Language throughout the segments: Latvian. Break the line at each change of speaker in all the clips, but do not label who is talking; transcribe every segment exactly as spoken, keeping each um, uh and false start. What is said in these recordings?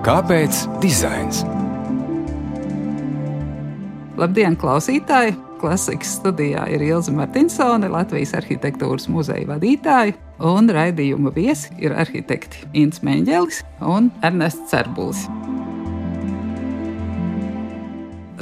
Kāpēc dizains?
Labdien, klausītāji! Klasikas studijā ir Ilze Martinsone, Latvijas arhitektūras muzeja vadītāja, un raidījuma viesi ir arhitekti Ints Meņģelis un Ernests Cerbulis.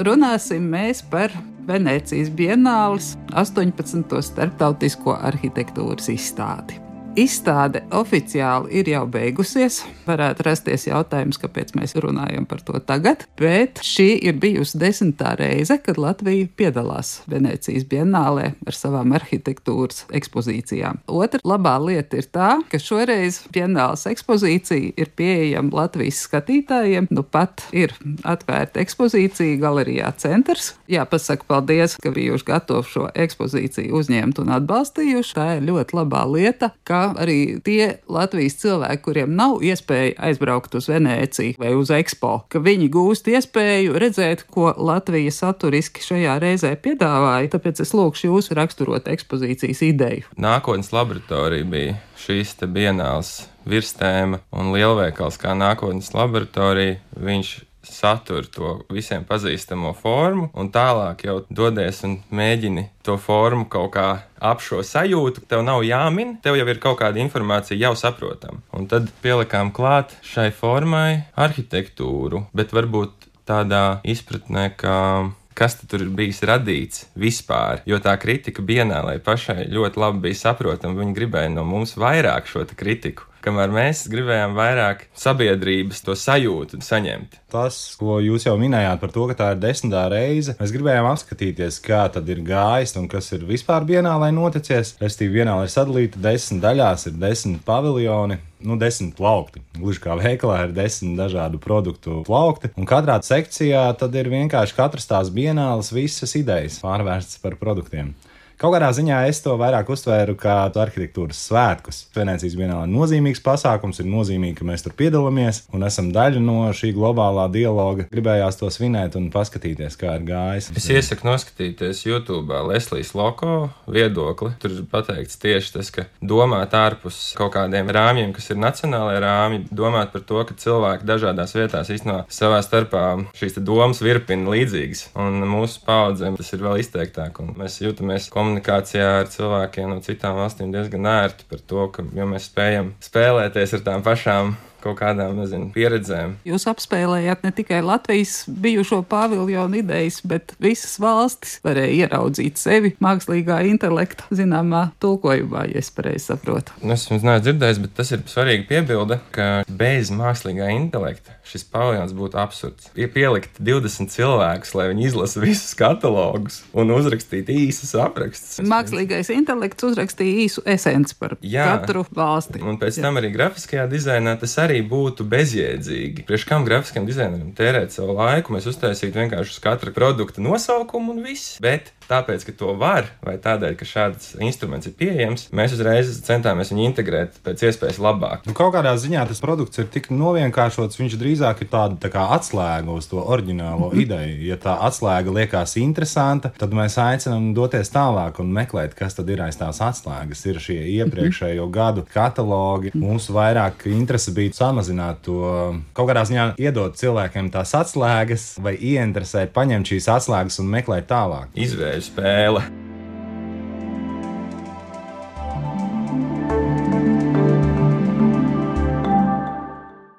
Runāsim mēs par Venēcijas Bienāles astoņpadsmito starptautisko arhitektūras izstādi. Izstāde oficiāli ir jau beigusies. Varētu rasties jautājums, kāpēc mēs runājam par to tagad, bet šī ir bijusi desmitā reize, kad Latvija piedalās Venēcijas Bienālē ar savām arhitektūras ekspozīcijām. Otra labā lieta ir tā, ka šoreiz Bienāles ekspozīcija ir pieejama Latvijas skatītājiem. Nu pat ir atvērta ekspozīcija Galerijā Centrs. Jāpasaka paldies, ka bijuši gatavi šo ekspozīciju uzņemt un atbalstījuši. Tā ir ļoti labā lieta, ka arī tie Latvijas cilvēki, kuriem nav iespēja aizbraukt uz Venēciju vai uz Expo, ka viņi gūst iespēju redzēt, ko Latvija saturiski šajā reizē piedāvāja. Tāpēc es lūkšu jūs raksturot ekspozīcijas ideju.
Nākotnes laboratorija bija šīs te Bienāles virstēma, un lielveikals kā nākotnes laboratorija, viņš satur to visiem pazīstamo formu, un tālāk jau dodies un mēģini to formu kaut kā ap šo sajūtu. Tev nav jāmin, tev jau ir kaut kāda informācija jau saprotama. Un tad pielikām klāt šai formai arhitektūru, bet varbūt tādā izpratnē, ka kas tur ir bijis radīts vispār, jo tā kritika Bienālei pašai ļoti labi bija saprotama. Viņi gribēja no mums vairāk šo kritiku, kamēr mēs gribējām vairāk sabiedrības to sajūtu saņemt.
Tas, ko jūs jau minējāt par to, ka tā ir desmitā reize, mēs gribējām apskatīties, kā tad ir gājis un kas ir vispār Bienālē noticies. Restīvi, Bienāle ir sadalīta desmit daļās, ir desmit paviljoni, nu desmit plaukti. Gluži kā veikalā ir desmit dažādu produktu plaukti, un katrā sekcijā tad ir vienkārši katras tās Bienāles visas idejas pārvērstas par produktiem. Kaut kādā ziņā es to vairāk uztvēru kā arhitektūras svētkus. Venēcijas Bienāle ir nozīmīgs pasākums, ir nozīmīgi, ka mēs tur piedalāmies un esam daļa no šī globālā dialoga. Gribējās to svinēt un paskatīties, kā ir gājis.
Es iesaku noskatīties YouTube Leslijas Loko viedokli. Tur ir pateikts tieši tas, ka domāt ārpus kaut kādiem rāmjiem, kas ir nacionālajie rāmji, domāt par to, ka cilvēki dažādās vietās īstenībā savā starpā šīs domas virpina līdzīgas. Un mūsu paudzēm tas ir vēl izteiktāk, un mēs jūtamies komunikācijā ar cilvēkiem no citām valstīm diezgan ērti par to, ka jo mēs spējam spēlēties ar tām pašām kaut kādām, nezinu, pieredzēm.
Jūs apspēlējāt ne tikai Latvijas bijušo paviljonu idejas, bet visas valstis varēja ieraudzīt sevi mākslīgā intelekta zināmā tulkojumā, ja es pareizi saprotu.
Nu, es jums neesmu dzirdējis, bet tas ir svarīgi piebilde, ka bez mākslīgā intelekta šis paviljons būtu absurds. Ir pielikt divdesmit cilvēkus, lai viņi izlasa visus katalogus un uzrakstītu īsus aprakstus.
Mākslīgais intelekts uzrakstīja īsu esenci par Jā. katru valsti.
Un pēc
Jā.
tam arī grafiskajā dizainā tas arī būtu bezjēdzīgi. Priekš kam grafiskam dizaineram tērēt savu laiku, mēs uztaisītu vienkārši uz katra produkta nosaukumu un viss. Bet tāpēc, ka to var, vai tādēļ, ka šāds instruments ir pieejams, mēs uzreiz centāmies viņu integrēt pēc iespējas labāk.
Nu, kaut kādā ziņā tas produkts ir tik novienkāršots, viņš drīzāk ir tāda tā kā atslēga uz to oriģinālo ideju. Ja tā atslēga liekas interesanta, tad mēs aicinām doties tālāk un meklēt, kas tad ir aiz tās atslēgas. Ir šie iepriekšējo gadu katalogi. Mūsu vairāk interese bija samazināt to, kaut kādā ziņā iedot cilvēkiem tās atslēgas vai ieinteresēt, paņemt šīs atslēgas un meklēt tālāk.
Izvēļu spēle.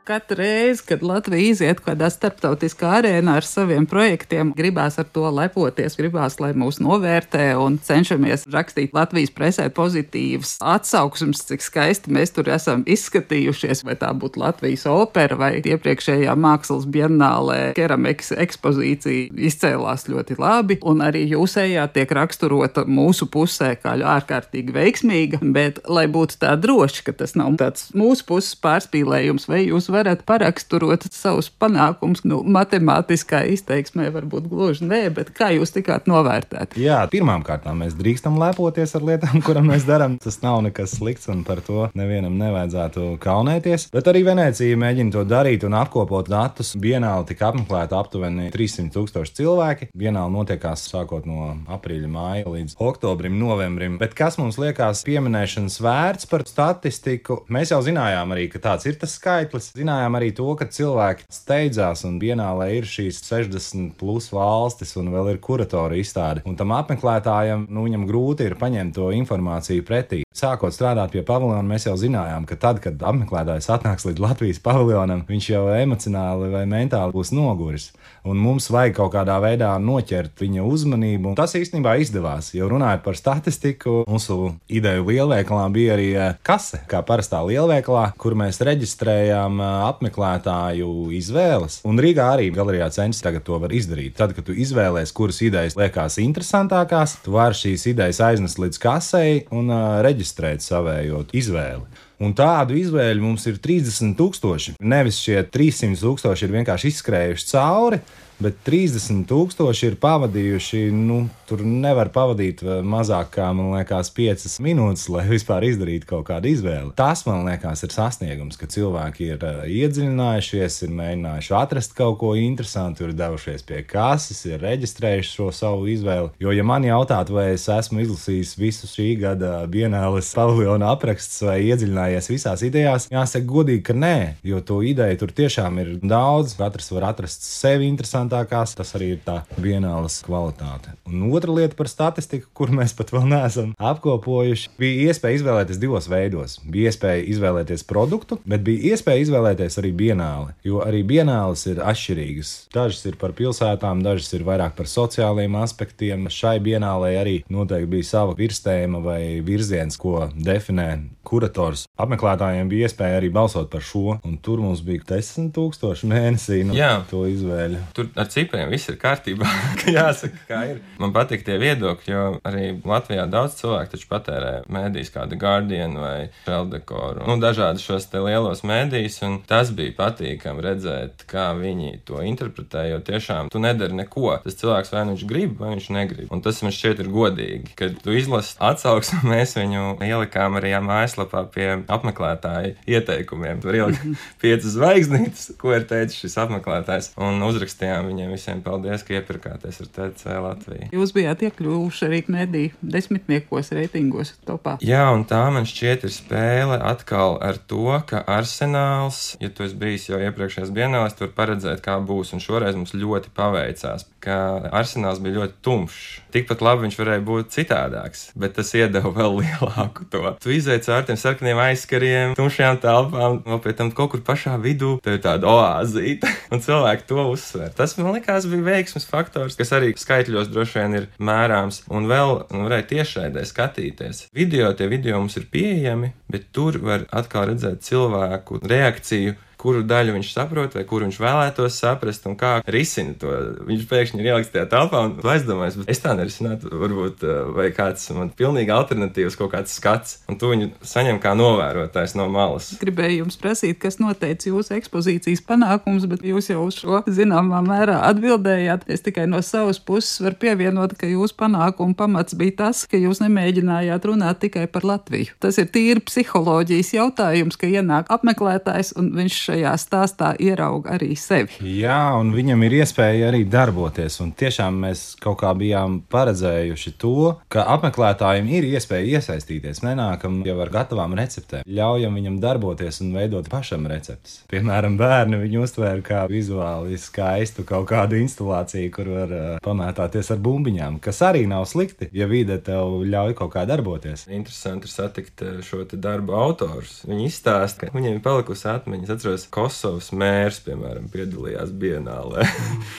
Katru reizi, kad Latvija iziet kādā starptautiskā arēnā ar saviem projektiem, gribās ar to lepoties, gribās, lai mūs novērtē un cenšamies rakstīt Latvijas presē pozitīvas atsauksmes, cik skaisti mēs tur esam izskatījušies, vai tā būtu Latvijas opera vai iepriekšējā mākslas bienālē keramikas ekspozīcija izcēlās ļoti labi, un arī jūsējā tiek raksturota mūsu pusē kā ārkārtīgi veiksmīga, bet lai būtu tā droši, ka tas nav tāds mūsu puses pārspīlējums, vai jūs varat paraksturot savus panākumus. Nu, matemātiskā izteiksmē varbūt gluži nē, bet kā jūs tikāt novērtēt?
Jā, pirmām kārtām mēs drīkstam lepoties ar lietām, kuram mēs darām. Tas nav nekas slikts un par to nevienam nevajadzētu kaunēties. Bet arī Venēcija mēģina to darīt un apkopot datus. Bienāle tika apmeklēta aptuveni trīssimt tūkstoši cilvēki. Bienāle notiekās sākot no aprīļa, māja līdz oktobrim, novembrim. Bet kas mums liekas pieminēšanas vērts par statistiku? Mēs jau zinājām arī, ka tāds ir tas skaitlis. Zinājām zinājām arī to, ka cilvēki steidzās un Bienālē ir šīs sešdesmit plus valstis un vēl ir kuratora izstāde. Un tam apmeklētājam, nu, viņam grūti ir paņemt to informāciju pretī. Sākot strādāt pie paviljona, mēs jau zinājām, ka tad, kad apmeklētājs atnāks līdz Latvijas paviljonam, viņš jau emocionāli vai mentāli būs noguris. Un mums vajag kaut kādā veidā noķert viņa uzmanību. Un tas īstenībā izdevās, jo runājot par statistiku, mūsu ideju lielveikalā bija arī kase, kā parastā lielveikalā, kur mēs reģistrējām apmeklētāju izvēles. Un Rīgā arī galerijā Censis tagad to var izdarīt. Tad, kad tu izvēlēs, kuras idejas liekas interesantākās, tu vari šīs idejas aiznest līdz kasei un uh, reģistrēt savējot izvēli. Un tādu izvēļu mums ir trīsdesmit tūkstoši. Nevis šie trīssimt tūkstoši ir vienkārši izskrējuši cauri, bet trīsdesmit tūkstoši ir pavadījuši, nu, tur nevar pavadīt mazāk kā, man liekas, piecas minūtes, lai vispār izdarītu kaut kādu izvēli. Tas, man liekas, ir sasniegums, ka cilvēki ir uh, iedziļinājušies, ir mēģinājuši atrast kaut ko interesantu, ir devušies pie kases, ir reģistrējuši šo savu izvēli. Jo, ja man jautātu, vai es esmu izlasījis visu šī gada Bienāles paviljona aprakstus vai iedziļinājies visās idejās, jāsaka godīgi, ka nē, jo to ideju tur tiešām ir daudz, katrs var atrast sevi interesantu. Tas arī ir tā Bienāles kvalitāte. Un otra lieta par statistiku, kur mēs pat vēl neesam apkopojuši, bija iespēja izvēlēties divos veidos. Bija iespēja izvēlēties produktu, bet bija iespēja izvēlēties arī Bienāli, jo arī Bienāles ir atšķirīgas. Dažas ir par pilsētām, dažas ir vairāk par sociālajiem aspektiem. Šai Bienālei arī noteikti bija sava virstēma vai virziens, ko definē kurators. Apmeklētājiem bija iespēja arī balsot par šo, un tur mums bija desmit tūkstoši mēnesī no Jā. To izvēļu.
Tur ar cipriem viss ir kārtībā, ka jāsaka, kā ir. Man patīk tie viedokļi, jo arī Latvijā daudz cilvēku taču patērē mēdījus kā The Guardian vai Šeldekoru, nu, dažādi šos te lielos mēdījus, un tas bija patīkami redzēt, kā viņi to interpretē, jo tiešām tu nedari neko. Tas cilvēks vai viņš grib, vai viņš negrib. Un tas man šķiet ir godīgi, kad tu izlasi atsauksmi, mēs viņu ielikām arī mājaslapā pie apmeklētāju ieteikumiem. Tur ielikt piecas zvaigznītes, ko ir teicis šis apmeklētājs, un uzrakstījām viņiem visiem paldies, ka iepirkāties ar T C Latviju.
Jūs bijāt iekļuvuši arī mediju desmitniekos reitingos topā.
Jā, un tā man šķiet ir spēle atkal ar to, ka Arsenāls, ja tu esi bijis jau iepriekšējās Bienālēs, tur paredzēt, kā būs, un šoreiz mums ļoti paveicās, ka Arsenāls bija ļoti tumšs. Tikpat labi viņš varēja būt citādāks, bet tas iedeva vēl lielāku to. Tu izveic ar tiem sarkaniem aizskariem, tumšajām telpām, vēl pie tam kaut kur pašā vidū, tev ir tāda oāzīte, un cilvēki to uzsver. Tas, man likās, bija veiksmes faktors, kas arī skaitļos droši vien ir mērāms, un vēl nu, varēja tiešraidē skatīties. Video, tie video mums ir pieejami, bet tur var atkal redzēt cilvēku reakciju, kuru daļu viņš saprot, vai kuru viņš vēlētos saprast, un kā risina to. Viņš pēkšņi ir ieliks tajā telpā un aizdomājas, bet es tā nerisinātu, varbūt, vai kāds man pilnīgi alternatīvs kaut kāds skats, un tu viņu saņem kā novērotājs no malas.
Gribēju jums prasīt, kas noteica jūsu ekspozīcijas panākums, bet jūs jau uz šo zināmā mērā atbildējāt. Es tikai no savas puses varu pievienot, ka jūsu panākuma pamats bija tas, ka jūs nemēģinājāt runāt tikai par Latviju. Tas ir tīri psiholoģijas jautājums, ka ienāk apmeklētājs un viņš šajā stāstā ierauga arī sevi.
Jā, un viņam ir iespēja arī darboties, un tiešām mēs kaut kā bijām paredzējuši to, ka apmeklētājiem ir iespēja iesaistīties. Nenākam jau ar gatavām receptēm. Ļaujam viņam darboties un veidot pašam receptes. Piemēram, bērni viņu uztvēra kā vizuāli skaistu kaut kādu instalāciju, kur var uh, pamētāties ar bumbiņām, kas arī nav slikti, ja vide tev ļauj kaut kā darboties.
Interesanti ir satikt šo te darbu autorus. Viņi izstāsta, ka viņiem ir palikusi atmiņas. Atceros, Kosovas mērs, piemēram, piedalījās Bienālē.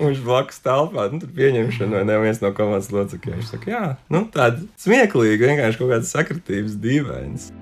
Viņš blakus telpā, nu, tur pieņemšana vai neviens no komandas locekļiem. Viņš saka, jā, nu, tāda smieklīga, vienkārši kaut kādas sakritības dīvainas.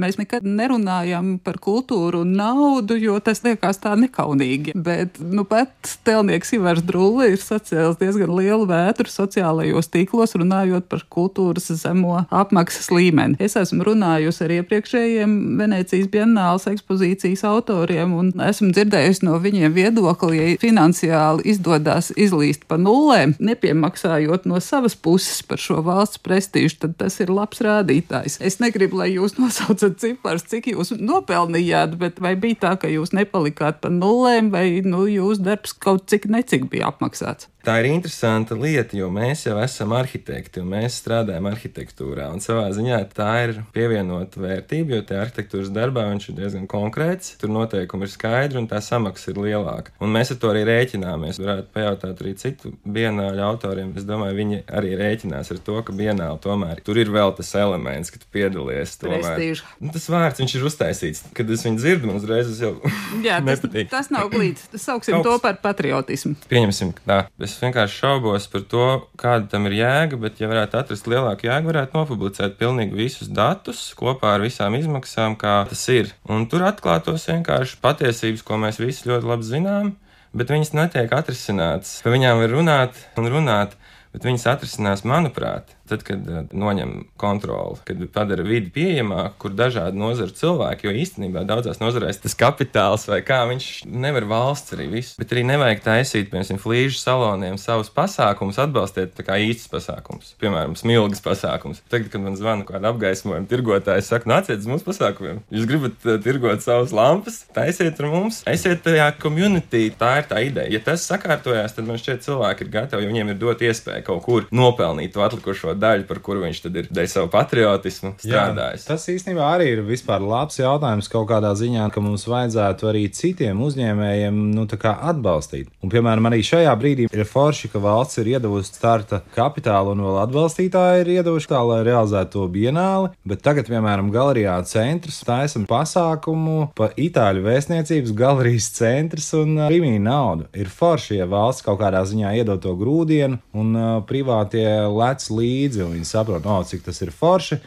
Mēs nekad nerunājam par kultūru un naudu, jo tas liekas tā nekaunīgi. Bet, nu, pat tēlnieks Ivars Drulle ir sacēlis diezgan lielu vētru sociālajos tīklos, runājot par kultūras zemo apmaksas līmeni. Es esmu runājusi ar iepriekšējiem Venēcijas Bienāles ekspozīcijas autoriem un esmu dzirdējusi no viņiem viedokli, ja finansiāli izdodas izlīst pa nullēm, nepiemaksājot no savas puses par šo valsts prestīžu, tad tas ir labs rādītājs. Es negribu, lai jūs nosaucat cipars, cik jūs nopelnījāt, bet vai bija tā, ka jūs nepalikāt pa nullēm, vai nu, jūsu darbs kaut cik necik bija apmaksāts?
Tā ir interesanta lieta, jo mēs jau esam arhitekti un mēs strādājam arhitektūrā. Un savā ziņā tā ir pievienota vērtība, jo tie arhitektūras darbā viņš ir diezgan konkrēts. Tur noteikumi ir skaidri un tā samaksa ir lielāka. Un mēs ar to arī rēķināmies. Varētu pajautāt arī citu bienāļu autoriem. Es domāju, viņi arī rēķinās ar to, ka bienāli tomēr tur ir vēl tas elements, ka tu piedalies.
Prestīžu.
Nu, tas vārds, viņš ir uztaisīts. Kad es viņu dzirdu, man uzreiz jau
Jā, tas,
nepatīk.
Tas nav glīts. Sauksim to par patriotismu.
Pieņemsim, ka tā. Es vienkārši šaubos par to, kāda tam ir jēga, bet, ja varētu atrast lielāku jēgu, varētu nopublicēt pilnīgi visus datus kopā ar visām izmaksām, kā tas ir. Un tur atklātos vienkārši patiesības, ko mēs visi ļoti labi zinām, bet viņas netiek atrisinātas. Par viņām var runāt un runāt, bet viņas atrisinās, manuprāt, tad, kad uh, noņem kontroli, kad padara vidi pieejamāku, kur dažādi nozaru cilvēki, jo īstenībā daudzās nozarēs tas kapitāls vai kā, viņš nevar valsts arī visu, bet arī nevajag taisīt, piemēram, flīžu saloniem savus pasākumus, atbalstiet tā kā īstus pasākumus, piemēram, smilgas pasākums. Tagad, kad man zvana kāda apgaismojuma tirgotāja, saka, nāciet uz mūsu pasākumiem, jūs gribat uh, tirgot savus lampas, taisiet ar mums, esiet tajā community, tā ir tā ideja. Ja tas sakārtojās, tad man šķiet cilvēki ir gatavi, jo viņiem ir dot iespēju kaut kur nopelnīt to atlikušo daļu, par kuru viņš tad ir dēļ savu patriotismu strādājis.
Jā, tas īstenībā arī ir vispār labs jautājums kaut kādā ziņā, ka mums vajadzētu arī citiem uzņēmējiem nu, tā kā atbalstīt. Un, piemēram, arī šajā brīdī ir forši, ka valsts ir iedavusi starta kapitālu un vēl atbalstītāji ir iedavuši tā, lai realizētu to bienāli, bet tagad, piemēram, galerijā centrs taisam pasākumu pa Itāļu vēstniecības galerijas centrs un Rimī naudu. Ir forši, ja valsts kaut kādā ziņā iedod to grūdienu un uh, privātie lec līdzi, un viņi saprot, oh, cik tas ir forši.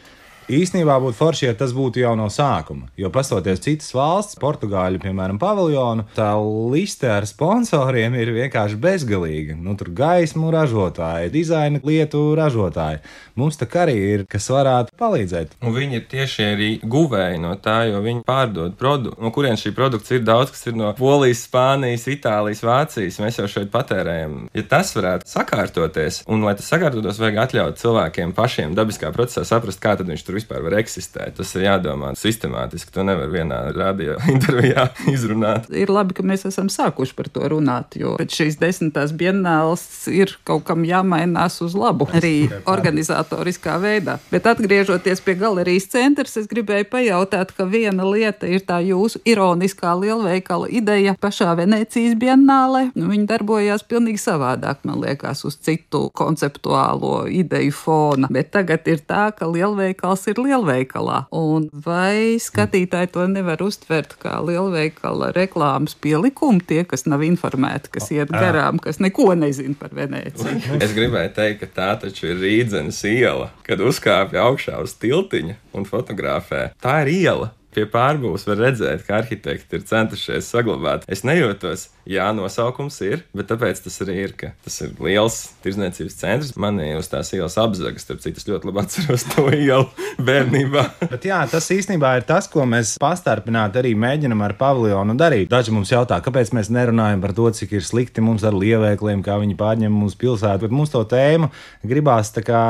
Īstenībā būtu forši, ja tas būtu jau no sākuma, jo pastoties citas valsts, Portugāļu, piemēram, paviljonu, tā liste ar sponsoriem ir vienkārši bezgalīga. Nu, tur gaismu ražotāji, dizaina lietu ražotāji. Mums tā arī ir, kas varētu palīdzēt.
Un viņi ir tieši arī guvēji no tā, jo viņi pārdod produktu, no kurien šī produkts ir daudz, kas ir no Polijas, Spānijas, Itālijas, Vācijas. Mēs jau šeit patērējam. Ja tas varētu sakārtoties, un lai tas sakārtotos, vajag atļaut cilvēkiem pašiem dabiskā procesā saprast, kā tad viņš tur vispār var eksistēt. Tas ir jādomā sistemātiski. To nevar vienā radio intervijā izrunāt.
Ir labi, ka mēs esam sākuši par to runāt, jo pēc šīs desmitās bienāles ir kaut kam jāmainās uz labu, arī organizatoriskā veidā. Bet atgriežoties pie galerijas centrs, es gribēju pajautāt, ka viena lieta ir tā jūsu ironiskā lielveikala ideja pašā Venecijas bienālē. Nu, viņi darbojās pilnīgi savādāk, man liekas, uz citu konceptuālo ideju fona. Bet tagad ir tā, ka lielveikals ir lielveikalā. Un vai skatītāji to nevar uztvert kā lielveikala reklāmas pielikumu, tie, kas nav informēti, kas iet garām, kas neko nezin par Venēciju?
Es gribēju teikt, ka tā taču ir Rīdzenes iela, kad uzkāpja augšā uz tiltiņa un fotografē. Tā ir iela. Pie pārbūves var redzēt, ka arhitekti ir centušies saglabāt. Es nejūtos, jā, nosaukums ir, bet tāpēc tas arī ir, ka tas ir liels tirdzniecības centrs. Man ir uz tās ielas apzagas, starp citu, es ļoti labi atceros to ielu bērnībā.
Bet jā, tas īstenībā ir tas, ko mēs pastarpināti arī mēģinam ar paviljonu darīt. Daži mums jautā, kāpēc mēs nerunājam par to, cik ir slikti mums ar lielveikliem, kā viņi pārņem mūsu pilsētu, bet mums to tēmu gribās tā kā.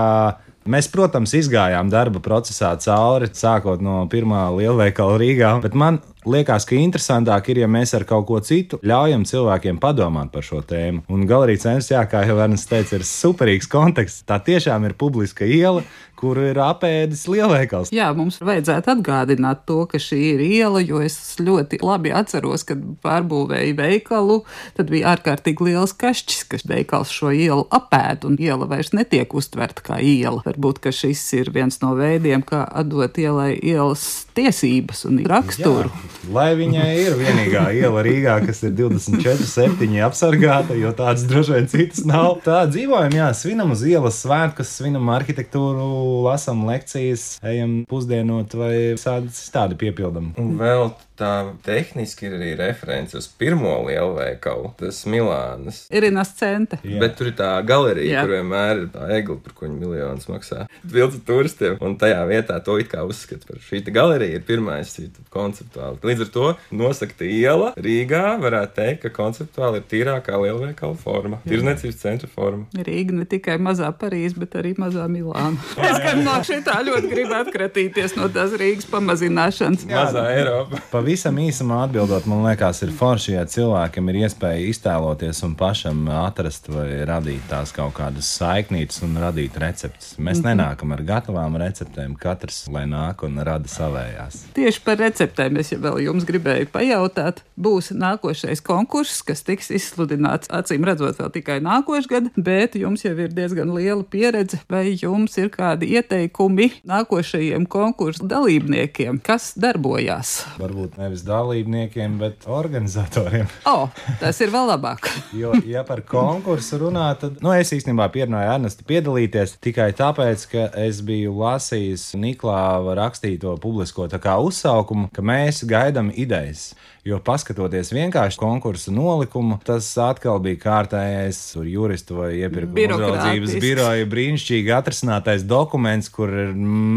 Mēs, protams, izgājām darba procesā cauri, sākot no pirmā lielveikala Rīgā, bet man liekas, ka interesantāk ir, ja mēs ar kaut ko citu ļaujam cilvēkiem padomāt par šo tēmu. Un galerija centrs, jā, kā jau Ernsts teica, ir superīgs konteksts. Tā tiešām ir publiska iela, kuru ir apēdis lielveikals.
Jā, mums vajadzētu atgādināt to, ka šī ir iela, jo es ļoti labi atceros, kad pārbūvēju veikalu, tad bija ārkārtīgi liels kašķis, ka veikals šo ielu apēd, un iela vairs netiek uztverta kā iela. Varbūt, ka šis ir viens no veidiem, kā atdot ielai ielas tiesības un raksturu.
Jā, lai viņai ir vienīgā iela Rīgā, kas ir divdesmit četri septiņi apsargāta, jo tādas droši vien citas nav. Tā dzīvojam, jā, svinam uz ielas svētkus, svinam arhitektūru, lasam lekcijas, ejam pusdienot vai tādi piepildam.
Un vēl tā tehniski ir arī reference uz pirmo lielveikalu, tas Milānas.
Irinas cente.
Jā. Bet tur ir tā galerija,
Jā.
kur vienmēr ir tā egla, par ko viņi miljonus maksā. Vilca turistiem, un tajā vietā to it kā uzskata par šī galerija ir pirmais konceptuāli Līdz ar to nosakta iela Rīgā varētu teikt, ka konceptuāli ir tīrākā lielveikala forma, tirzniecības centra forma.
Rīga ne tikai mazā Parīze, bet arī mazā Milāna. Es gan no šitā ļoti gribu atkratīties no tās Rīgas pamazināšanas.
Mazā Eiropa.
Pavisam īsumā atbildot, man liekas, ir forši, ja cilvēkam ir iespēja iztēloties un pašam atrast vai radīt tās kaut kādas saiknītes un radīt receptes. Mēs mm-hmm. nenākam ar gatavām receptēm, katrs lai nāk un rada savējās.
Tieši par receptēm es jau vēl jums gribēju pajautāt. Būs nākošais konkurss, kas tiks izsludināts acīm redzot vēl tikai nākošgad, bet jums jau ir diezgan liela pieredze. Vai jums ir kādi ieteikumi nākošajiem konkursu dalībniekiem, kas darbojās?
Varbūt nevis dalībniekiem, bet organizatoriem.
O, tas ir vēl labāk.
Jo, ja par konkursu runā, tad, nu, es īstenībā pierunāju Ernestu piedalīties tikai tāpēc, ka es biju lasījis Niklāva rakstīto publisko tā kā uzsaukumu, ka mēs gaidām idejas. Jo paskatoties vienkārši konkursu nolikumu, tas atkal bija kārtējais juristu vai iepirkuma uzraudzības biroja brīnišķīgi atrasinātais dokuments, kur ir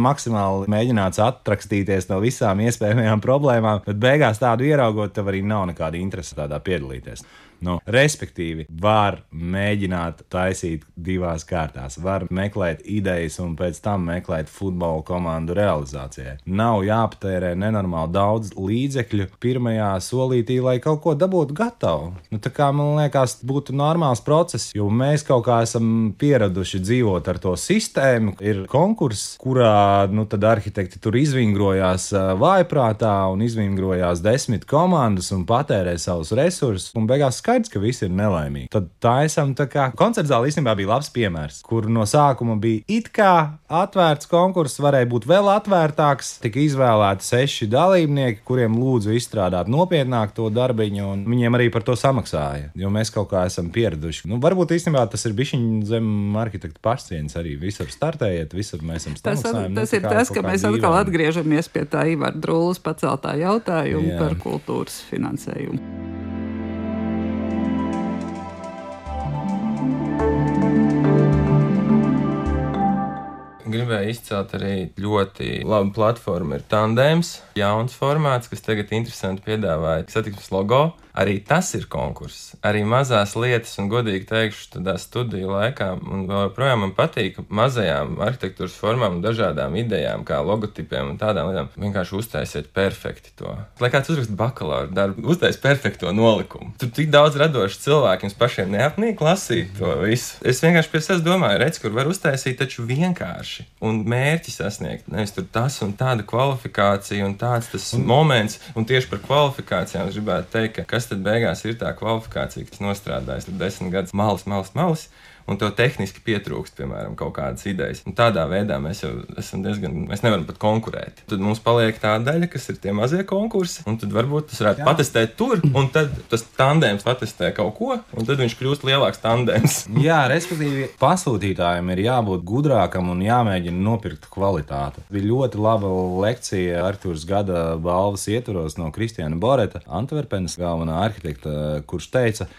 maksimāli mēģināts atrakstīties no visām iespējamajām problēmām, bet beigās tādu ieraugot, tev arī nav nekāda interese tādā piedalīties. Nu, respektīvi, var mēģināt taisīt divās kārtās. Var meklēt idejas un pēc tam meklēt futbola komandu realizācijai. Nav jāpatērē nenormāli daudz līdzekļu pirmajā solītī, lai kaut ko dabūtu gatavu. Nu, tā kā man liekas, būtu normāls process, jo mēs kaut kā esam pieraduši dzīvot ar to sistēmu. Ir konkurss, kurā nu, tad arhitekti tur izvingrojās vājprātā un izvingrojās desmit komandas un patērē savus resursus un beigās skaidrs, ka visi ir nelaimīgi. Tad taisam tā kā koncerts zāle īstenībā bija labs piemērs, kur no sākuma bija it kā atvērts konkurss, varēja būt vēl atvērtāks, tika izvēlēti seši dalībnieki, kuriem lūdzu izstrādāt nopietnāk to darbiņu, un viņiem arī par to samaksāja, jo mēs kaut kā esam pieraduši. Nu, varbūt īstenībā tas ir bišķiņ zem arhitekta pašcieņas arī visur startējiet, visur mēs esam samaksājumi.
Tas, tas nu, ir tas, ka mēs atkal dīvaini. Atgriežamies pie tā Ivara Drūles paceltā jautājuma Jā. Par kultūras finansējumu.
Gribēju izcelt arī ļoti labu platformu. Ir Tandēms, jauns formāts, kas tagad interesanti piedāvāja satiksmes logo. Arī tas ir konkurss. Arī mazās lietas, un godīgi teikšu, tādā studiju laikā, un vēl joprojām man patīk mazajām arhitektūras formām un dažādām idejām, kā logotipiem un tādām lietām. Vienkārši uztaisiet perfekti to. Lai kāds uzrakst bakalaura darbu, uztais perfekto nolikumu. Tur tik daudz radoši cilvēki, jums pašiem neapnīk lasīt to visu. Es vienkārši pie sevis domāju, redz, kur var uztaisīt taču vienkārši un mērķi sasniegt. Nevis tur tas un tāda kvalifikācija un tāds tas un, moments, un tieši par kvalifikācijām es gribētu teikt, ka kas tad beigās ir tā kvalifikācija, kas nostrādājas tur desmit gadus malas, malas, malas, un tev tehniski pietrūkst, piemēram, kaut kādas idejas. Un tādā veidā mēs jau esam diezgan, mēs nevaram pat konkurēt. Tad mums paliek tā daļa, kas ir tie mazie konkursi, un tad varbūt tas varētu Jā. Patestēt tur, un tad tas tandēms patestē kaut ko, un tad viņš kļūst lielāks tandēms.
Jā, respektīvi, pasūtītājiem ir jābūt gudrākam un jāmēģina nopirkt kvalitāti. Bija ļoti laba lekcija arhitektūras gada balvas ietvaros no Kristiāna Boreta, Antverpenes galvenā arhitekta, kurš teica,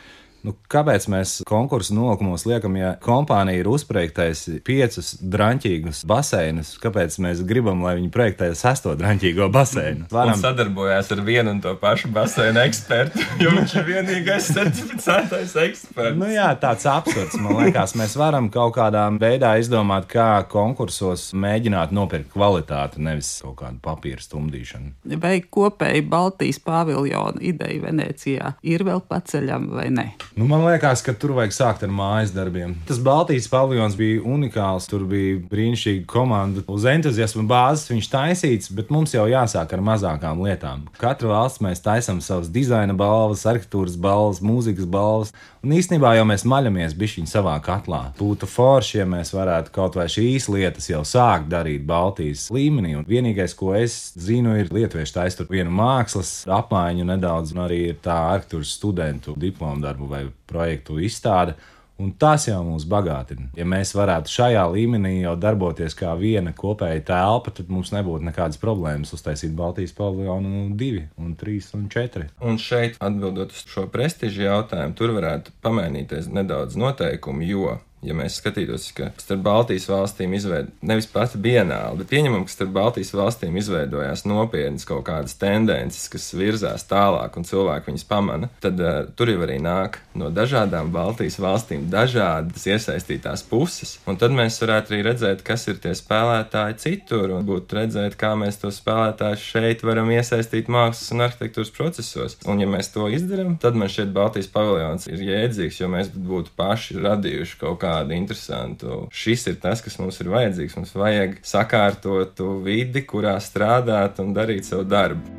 nu, kāpēc mēs konkursu nolikumos liekam, ja kompānija ir uzprojektājusi piecus draņķīgus baseinus, kāpēc mēs gribam, lai viņi projektē sesto draņķīgo baseinu?
Varam... Un sadarbojās ar vienu un to pašu baseinu ekspertu, jo viņš ir vienīgais certificētais eksperts.
Nu jā, tāds absurds. Man liekas, mēs varam kaut kādā veidā izdomāt, kā konkursos mēģināt nopirkt kvalitāti, nevis kaut kādu papīru stumdīšanu.
Vai kopēji Baltijas paviljona ideja Venecijā ir vēl paceļama vai ne?
Nu, man liekas, ka tur vajag sākt ar mājas darbiem. Tas Baltijas paviljons bija unikāls, tur bija brīnišķīga komanda. Uz entuziasma bāzes viņš taisīts, bet mums jau jāsāk ar mazākām lietām. Katru valsts mēs taisam savas dizaina balvas, arhitektūras balvas, mūzikas balvas, un īstenībā jau mēs maļamies bišķiņ savā katlā. Būtu forši, ja mēs varētu kaut vai šīs lietas jau sākt darīt Baltijas līmenī, un vienīgais, ko es zinu, ir lietuvieši taist tur vienu mākslas apmaiņu nedaudz, un arī ir tā arhitektūras studentu diplomu darbu vai projektu izstāde, un tas jau mūs bagātina. Ja mēs varētu šajā līmenī jau darboties kā viena kopēja telpa, tad mums nebūtu nekādas problēmas uztaisīt Baltijas paviljonu divi, un trīs, un četri.
Un šeit, atbildot uz šo prestižu jautājumu, tur varētu pamainīties nedaudz noteikumi, jo Ja mēs skatītos, ka starp Baltijas valstīm izveid nevis pati bienāla, bet pieņemam, ka starp Baltijas valstīm izveidojās nopietnas kaut kādas tendences, kas virzās tālāk un cilvēki viņas pamana, tad uh, tur jau arī nāk no dažādām Baltijas valstīm dažādas iesaistītās puses. Un tad mēs varētu arī redzēt, kas ir tie spēlētāji citur un būtu redzēt, kā mēs tos spēlētājus šeit varam iesaistīt mākslas un arhitektūras procesos. Un ja mēs to izdarām, tad man šķiet Baltijas paviljons ir jēdzīgs, jo mēs būtu paši radījuši kaut kādu interesantu. Šis ir tas, kas mums ir vajadzīgs. Mums vajag sakārtotu vidi, kurā strādāt un darīt savu darbu.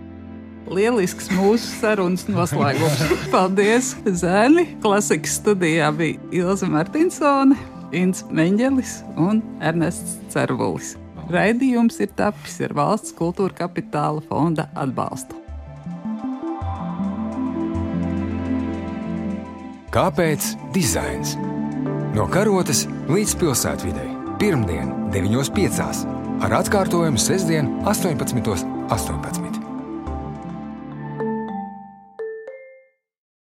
Lielisks mūsu sarunas noslēgums. Paldies, Zēni! Klasikas studijā bija Ilze Martinsone, Ints Meņģelis un Ernests Cervulis. Raidījums ir tapis ar Valsts kultūra kapitāla fonda atbalstu.
Kāpēc dizains? No Karotes līdz pilsētvidei. Pirmdien, deviņos piecās. Ar atkārtojumu sestdien, astoņpadsmitos astoņpadsmit.